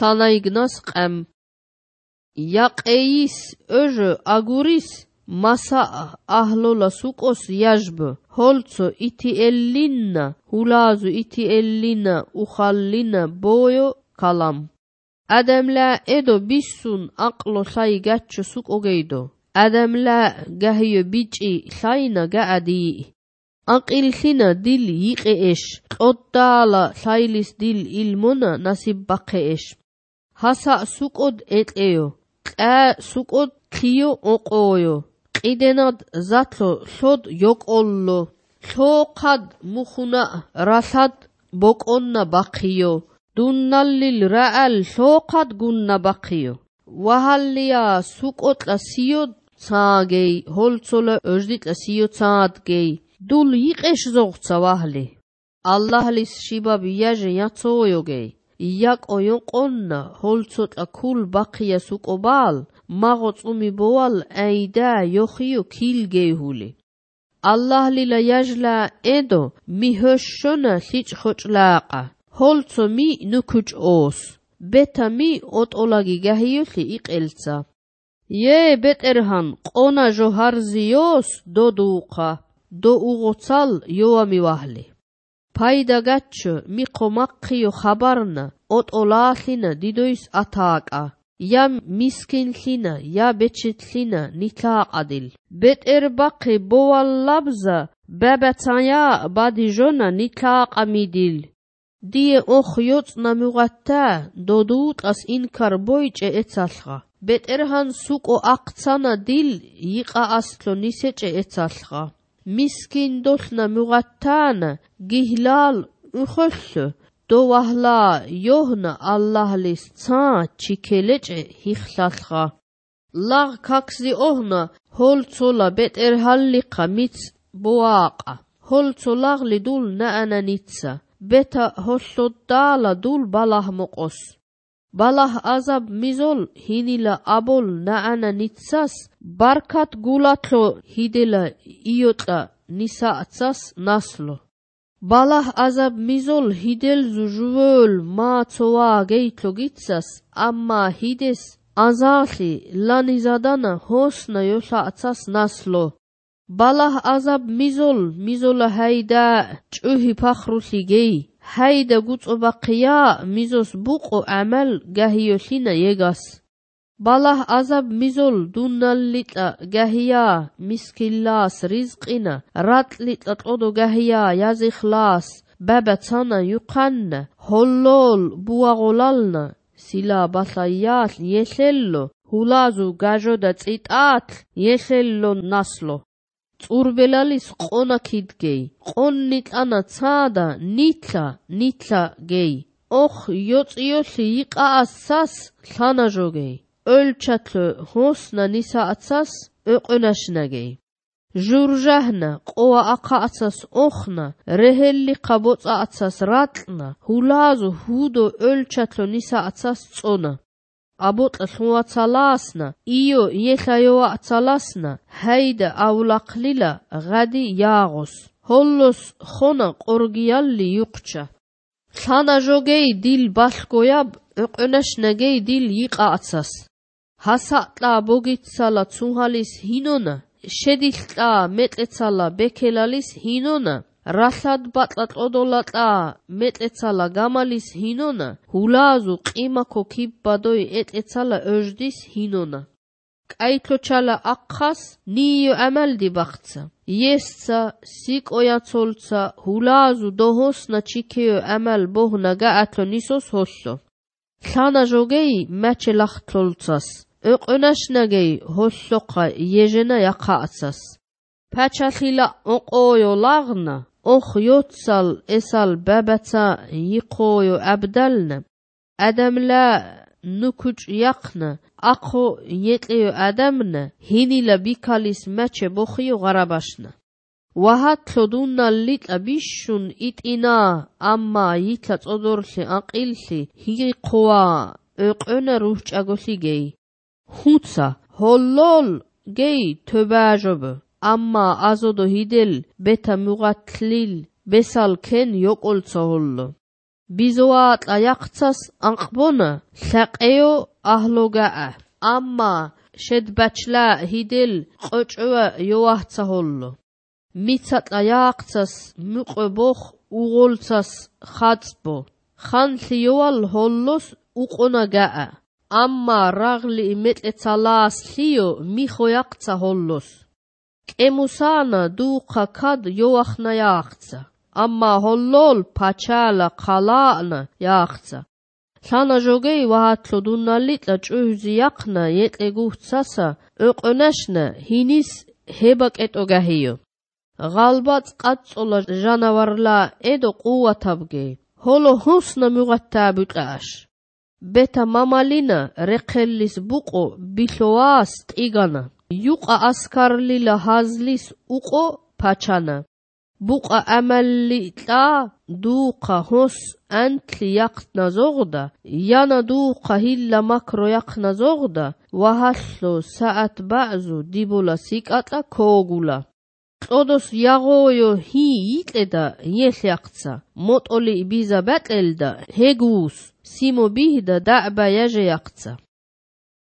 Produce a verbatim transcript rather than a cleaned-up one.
Lanaignas qem. Yaqeis öjö aguris masa ahlola sukos yajb. Holco iti ellinna, hulazu iti ellina, ukhallina boyo kalam. Adamla edo bissun aqlo say gatcho suk ogeido. Adamla gahiyo bici sayna gaadi. Aqil thina dil yiqeesh. Qoddala saylis dil ilmona nasib baqeesh. Hasa sukod eteo. Qa sukod qiyo oqoyo. Qidenad zatlo sod yoqollo. Xoqad mukhuna rasad bokonna baqiyo. Dunnallil ra'al xoqad gunna baqiyo. Wahalliya sukotla siyo tsagey. Holcola öjditla siyo tsadgey. Dul yiqesh zoqtsa wahli. Allahlis shibab yaje yatsoyogey. Yak oyon qonna holcotla kul baqiya sukobal. Magotsumi boal aida yokhio kilgeyhuli. Allah lila yajla edo mi höshona sich khochlaqa. Holco mi nukuch os. Beta mi otolagi gahiyoli iqeltsa. Ye beterhan qona joharzios doduqa. Do ugotsal yoami wahli. Payda gacho mi qomaqiyo khabarna otolahlina didois ataqa. Ya miskin lina, ya beçit lina nitlaqadil. Beter baqi boal labza babataya badijona nitlaqamidil. Diye ox yotsna mugatta dodut as inkar boyce etsalqa. Beterhan suko aqtsana dil yiqa aslo nisece etsalqa. Miskin dolna mugattana gihlal ukhoslu. Do wahla yohna Allahlis tsa çikelece hixlalqa. Lag kaksi ohna holcola beter halliqa mits boaqa. Holcolagli dul naana nitsa. Beta hollodala dul balah moqos. Balah azab mizol hinila abol naana nitsas. Barkat gulatlo hidela iotla nisaatsas naslo. Balah azab mizol hidel zujvöl maatsoa geitlo gitsas, amma hides azali lanizadana hosna yosatsas naslo. Balah azab mizol mizola hayda çuhi pakhrusi gei, hayda gutsobaqiya mizos buqo amal gahiyoshina yegas. Balah azab mizol dunnallita gahiya miskillas rizqina ratlita todo gahiya yazikhlas babatsana yuqanna hollol buagolalna sila basayal yeshello hulazu gajoda tsitat yeshello naslo tsurbelalis qona kidgei qonnit ana tsada nitla nitla gei ox yotsiyoshi yiqa assas lhanajogei Ölçatlı hosna nisa atsas öqönaşnagey. Jurjahna qoa aqa atsas oxna rehelli qabotsa atsas ratlna hulazu hudo ölçatlı nisa atsas tsona. Abotla hlwatsalasna iyo yehlayoa atsalasna hayda avlaqlila gadi yağos. Hollos xona qorgiyalli yuqça. Lhana jogey dil balgoyab öqönaşnagey dil yiqa atsas. Hasatla bogitsala tsuhalis hinona, shediltla metletsala bekelalis hinona, rasad batlat odolatla metletsala gamalis hinona, hulazu qimako kibbadoi etletsala öjdis hinona. Qaitloçala aqqas niyo amaldi baqtsa. Yesca sikoyatsolca hulazu dohosna çikeyo amal bohna gaatlo nisos hosso. Lhana jogei mache laxtlolcas. Öqönaşnagey holloqa yejena yaqatsas. Pachathila oqoyo lagna, ox yotsal esal babatsa yiqoyo abdalna. Adamla nukuc yaqna, aqo yetleyo adamna, hinila bikalis mache boxiyo garabashna. Wahatlo dunnallit abishun itina, amma yitla tsodorli aqilli, hiqoa öqöna ruhçagoligey. Hutsa, hollol, gey töbajobu, amma azodo hidel, beta mugatlil, besal ken yoqolca hollo. ბიზოატა იახცას ანყბონა ლაყეო აჰლოგაა ამა შედბაჩლა ჰიდელ ყოჭვა იოაჰცა ჰოლლო მიცატა იახცას მუყბოხ უღოლცას ხაცბო ხანთლი იოალ ჰოლლოს უყონაგაა ამა რაღლი მეტეცალას ლიო მიხო იახცა ჰოლლოს კემუსანა დუხა ქად იოახნა იახცა ამა ჰოლლოლ ფაჩალა ყალანა იახცა სანა ჟოგეი ვაჰათლო დუნალიტა ჭუჰზი იახნა ეტეგუცასა ოყონაშნა ჰინის ჰებაკეტოგაჰიო ღალბაც ყაწოლა ჟანავარლა ედო ყუათაბგე ჰოლო ჰუსნა მუღათაბიყაშ ბეთა მამალინა რეყელლის ბუყო ბილოას ტიგანა იუყა ასკარლილა ჰაზლის უყო ფაჩანა ბუყა ამალიტა დუყა ჰოს ანთლი იახნა ზოღდა იანა დუყა ჰილლა მაკრო იახნა ზოღდა ვაჰალლო საათ ბაზუ დიბოლა სიკატა ქოგულა ყოდოს იაღოიო ჰი იტედა იეხახცა მოტოლი ბიზა ბატელდა ჰეგუს სიმო ბიჰდა დააბა იაჟე იახცა